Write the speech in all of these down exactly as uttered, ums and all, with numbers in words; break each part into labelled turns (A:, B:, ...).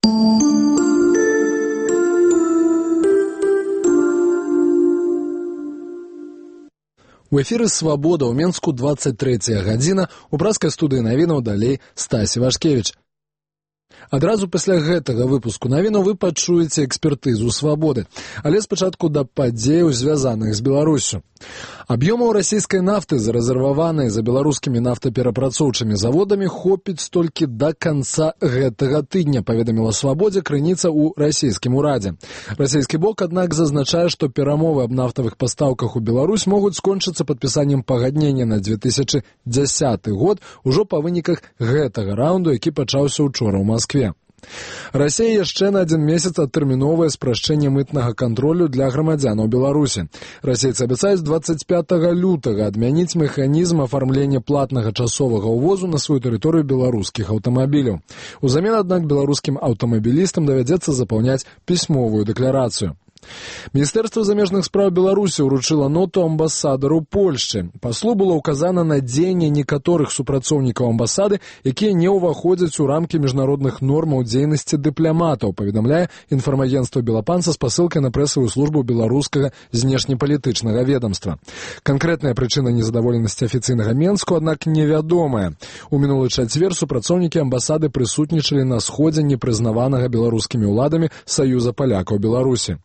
A: У эфіры «Свабода» ў Менску двадцать трэцяя гадзіна, у пражскай студыі навінаў далей Стась Івашкевіч. Адразу пасля гэтага выпуску навіну вы пачуеце экспертызу «Свабоды», але спачатку да падзеяў, звязаных з Беларуссю. Аб'ёмаў расійскай нафты, зарэзерваванай за беларускімі нафтаперапрацоўчымі заводамі, хопіць толькі да канца гэтага тыдня, паведаміла «Свабодзе» крыніца ў расійскім урадзе. Расійскі бок, аднак, зазначае, што перамовы аб нафтавых пастаўках у Беларусь могуць скончыцца падпісаннем пагаднення на две тысячы дзясяты год ужо па выніках гэтага раунду, які пачаўся учора ў Маскве. Расія яшчэ на адзін месяц адтэрміновае спрашчэнне мытнага кантролю для грамадзянаў Беларусі. Расейцы абяцаюць двадцать пятага лютага адмяніць механізм афармлення платнага часовага ўвозу на сваю тэрыторыю беларускіх аўтамабіляў. Узамен, аднак, беларускім аўтамабілістам давядзецца запаўняць пісьмовую дэкларацыю. Міністэрства замежных спраў Беларусі ўручыла ноту амбасадару Польшчы. Паслу было ўказана на дзеянне некаторых супрацоўнікаў амбасады, якія не ўваходзяць у рамкі міжнародных нормаў дзейнасці дыпламатаў, паведамляе інфармагенцтва «Белапан» са спасылкай на прэсавую службу беларускага знешнепалітычнага ведамства. Канкрэтная прычына незадаволенасці афіцыйнага Менску, аднак, невядомая. У мінулы чацвер супрацоўнікі амбасады прысутнічалі на сходзе непрызнаванага беларускімі ўладамі Саюза палякаў Беларусі.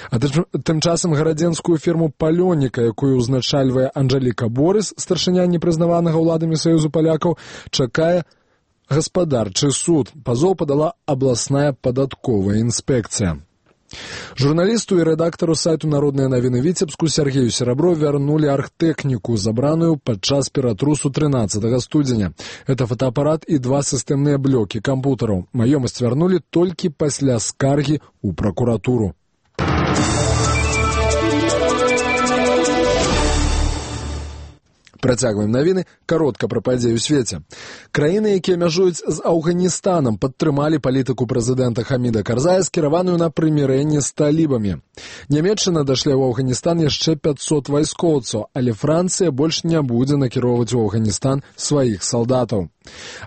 A: А тым часам гарадзенскую фірму «Палёніка», якую ўзначальвае Анжэліка Борыс, старшыня непрызнаванага ўладамі Саюзу палякаў, чакае гаспадарчы суд. Пазоў падала абласная падатковая інспекцыя. Журналісту і рэдактару сайту «Народныя навіны» Віцебску Сергею Серабро вярнулі архтэхніку, забраную падчас ператрусу трынаццатага студзеня. Это фотоапарат і два сістэмныя блокі кампутараў. Маёмасць вярнулі толькі пасля скаргі ў пракуратуру. Працягваем навіны, каротка пра падзеі ў свеце. Краіны, якія мяжуюць з Афганістанам, падтрымалі палітыку прэзідэнта Хаміда Карзая, скіраваную на прымірэнне з талібамі. Нямецчына дашле ў Афганістан яшчэ пяцьсот вайскоўцаў, але Францыя больш не будзе накіроўваць у Афганістан сваіх салдатаў.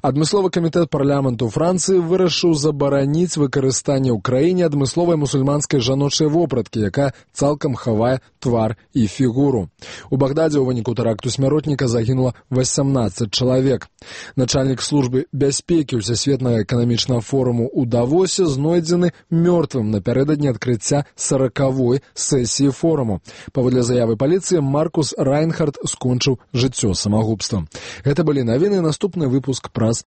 A: Адмысловы камітэт парламенту Францыі вырашыў забараніць выкарыстанне ў краіне адмысловай мусульманскай жаночай вопраткі, якая цалкам хавае твар і фігуру. У Багдадзе ў выніку тэракту смяротніка загінула васямнаццаць чалавек. Начальнік службы бяспекі Усесветнага эканамічнага форуму ў Давосе знойдзены мёртвым напярэдадні адкрыцця саракавой сесіі форуму. Паводле заявы паліцыі, Маркус Райнхард скончыў жыццё самагубствам. Гэта былі навіны, наступны выпуск праз